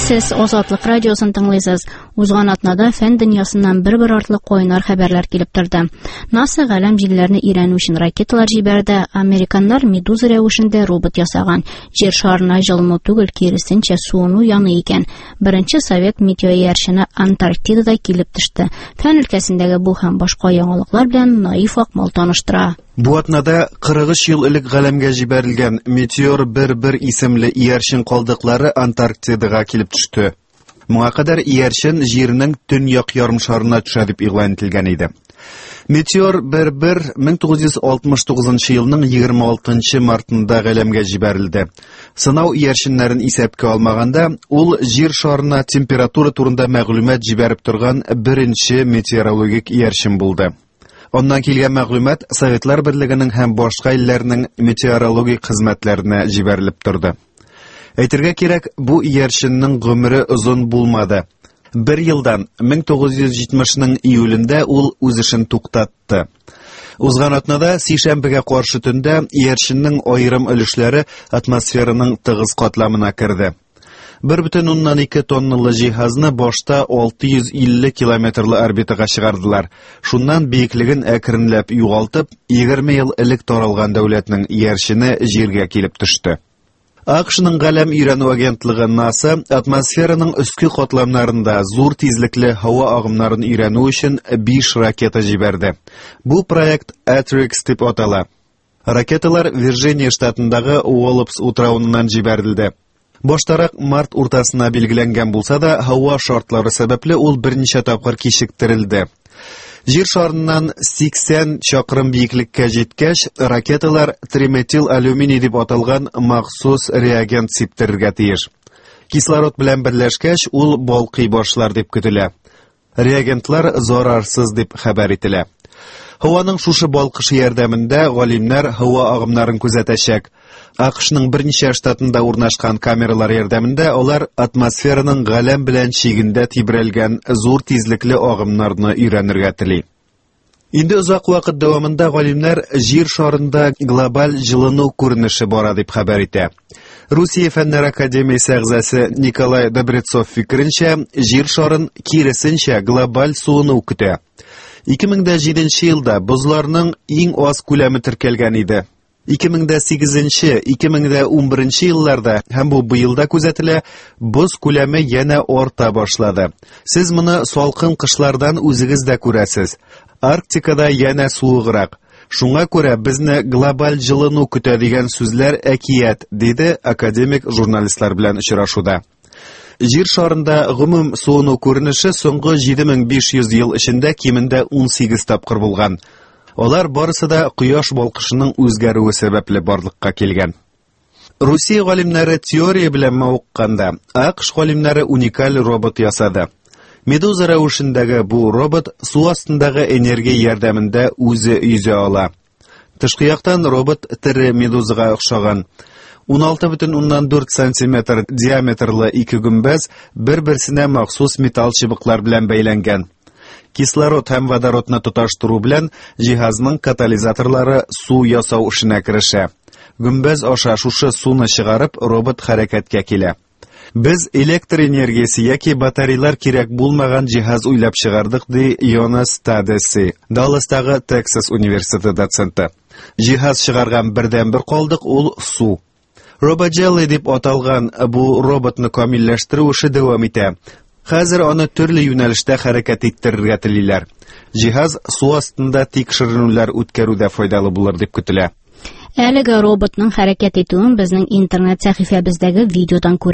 Сез Азатлык радиосын тыңлыйсыз. Узган атнада фән дөньясыннан бер-бер артлы кайнар хәбәрләр килеп торды. НАСА галәм җилләрне өйрәнү өчен ракеталар җибәрде. Американнар медуза рәвешендә робот ясаган. Җир шарына җылыну түгел, киресенчә, суыну яный икән. Беренче совет метеоиярчыны Антарктидада килеп төште. Фән өлкәсендәге бу һәм башка яңалыклар белән Наиф Акмал таныштыра. Бу атнада 43 ел элек галәмгә җибәрелгән Метеор 1-1 исемле иярчен калдыклары Антарктидага килеп төште. Моңа кадәр иярчен Җирнең төньяк ярымшарына төшә дип игълан ителгән иде. Метеор 1-1 1969 елның 26 мартында галәмгә җибәрелде. Сынау иярченнәрен исәпкә алмаганда, ул Җир шарына температура турында мәгълүмат җибәреп торган беренче метеорологик иярчен булды. Аннан килгән мәгълүмат Советлар Берлегенең һәм башка илләрнең метеорологик хезмәтләренә җибәрелеп торды. Әйтергә кирәк, бу иярченнең гомере озын булмады. Бер елдан, 1970-нең июлендә ул үз эшен туктатты. Узган атнада сишәмбегә каршы төндә иярченнең аерым өлешләре атмосфераның тыгыз катламына керде. 1,2 тонналы җиһазны башта 650 километрлы орбитага чыгардылар. Шуннан биеклеген әкренләп югалтып, 20 ел элек таралган дәүләтнең иярчене Җиргә килеп төште. АКШның галәм өйрәнү агентлыгы НАСА атмосфераның өске катламнарында зур тизлекле һава агымнарын өйрәнү өчен 5 ракета җибәрде. Бу проект Atrix дип атала. Ракеталар Вирджиния штатындагы Уоллопс утравыннан җибәрелде. Баштарак март уртасына билгеләнгән булса да, һава шартлары сәбәпле ул берничә тапкыр кичектерелде. Җир шарыннан 80 чакрым биеклеккә җиткәч, ракеталар триметил алюминий дип аталган махсус реагент сиптерергә тиеш. Кислород белән берләшкәч, ул балкый башлар дип көтелә. Реагентлар зарарсыз дип хәбәр ителә. Һаваның шушы балкышы ярдәмендә галимнәр һава агымнарын күзәтәчәк. АКШның берничә штатында урнашкан камералар ярдәмендә алар атмосфераның галәм белән чигендә тибрәлгән зур тизлекле агымнарны өйрәнергә тели. Инде озак вакыт дәвамында галимнәр Җир шарында глобаль җылыну күренеше бара дип хәбәр итә. Русия Фәннәр академиясе әгъзасы Николай Добрецов фикеренчә, Җир шарын киресенчә глобаль суыну көтә. 2007 елда бозларның иң аз күләме теркәлгән иде. 2008-2011 елларда һәм бу быел да күзәтелә, боз күләме янә арта башлады. Сез моны салкын кышлардан үзегез дә күрәсез. Арктикада янә суыграк. Шуңа күрә безне глобаль җылыну көтә дигән сүзләр әкият, диде академик журналистлар белән очрашуда. Җир шарында гомум суыну күренеше соңгы 7500 ел эчендә кимендә 18 тапкыр булган. Алар барысы да кояш балкышының үзгәрүе сәбәпле барлыкка килгән. Русия галимнәре теория белән мавыкканда, АКШ галимнәре уникаль робот ясады. Медуза рәвешендәге бу робот су астындагы энергия ярдәмендә үзе йөзә ала. Тышкы яктан робот тере медузага охшаган. 16,4 сантиметр диаметрлы ике гөмбәз бер-берсенә махсус металл чыбыклар белән бәйләнгән. Кислород һәм водородны тоташтыру белән җиһазның катализаторлары су ясау эшенә керешә. Гөмбәз аша шушы суны чыгарып, робот хәрәкәткә килә. Без электр энергиясе яки батарейлар кирәк булмаган җиһаз уйлап чыгардык, ди Йонас Тадеси, Далластагы Тексас университеты доценты. Җиһаз чыгарган бердәнбер калдык ул су. RoboJelly дип аталган бу роботны камилләштерү эше дәвам итә. Хәзер аны төрле юнәлештә хәрәкәт иттерергә телиләр. Җиһаз су астында тикшеренүләр үткәрүдә файдалы булыр дип көтелә. Әлеге роботның хәрәкәт итүен безнең интернет сәхифәбездәге видеодан күрә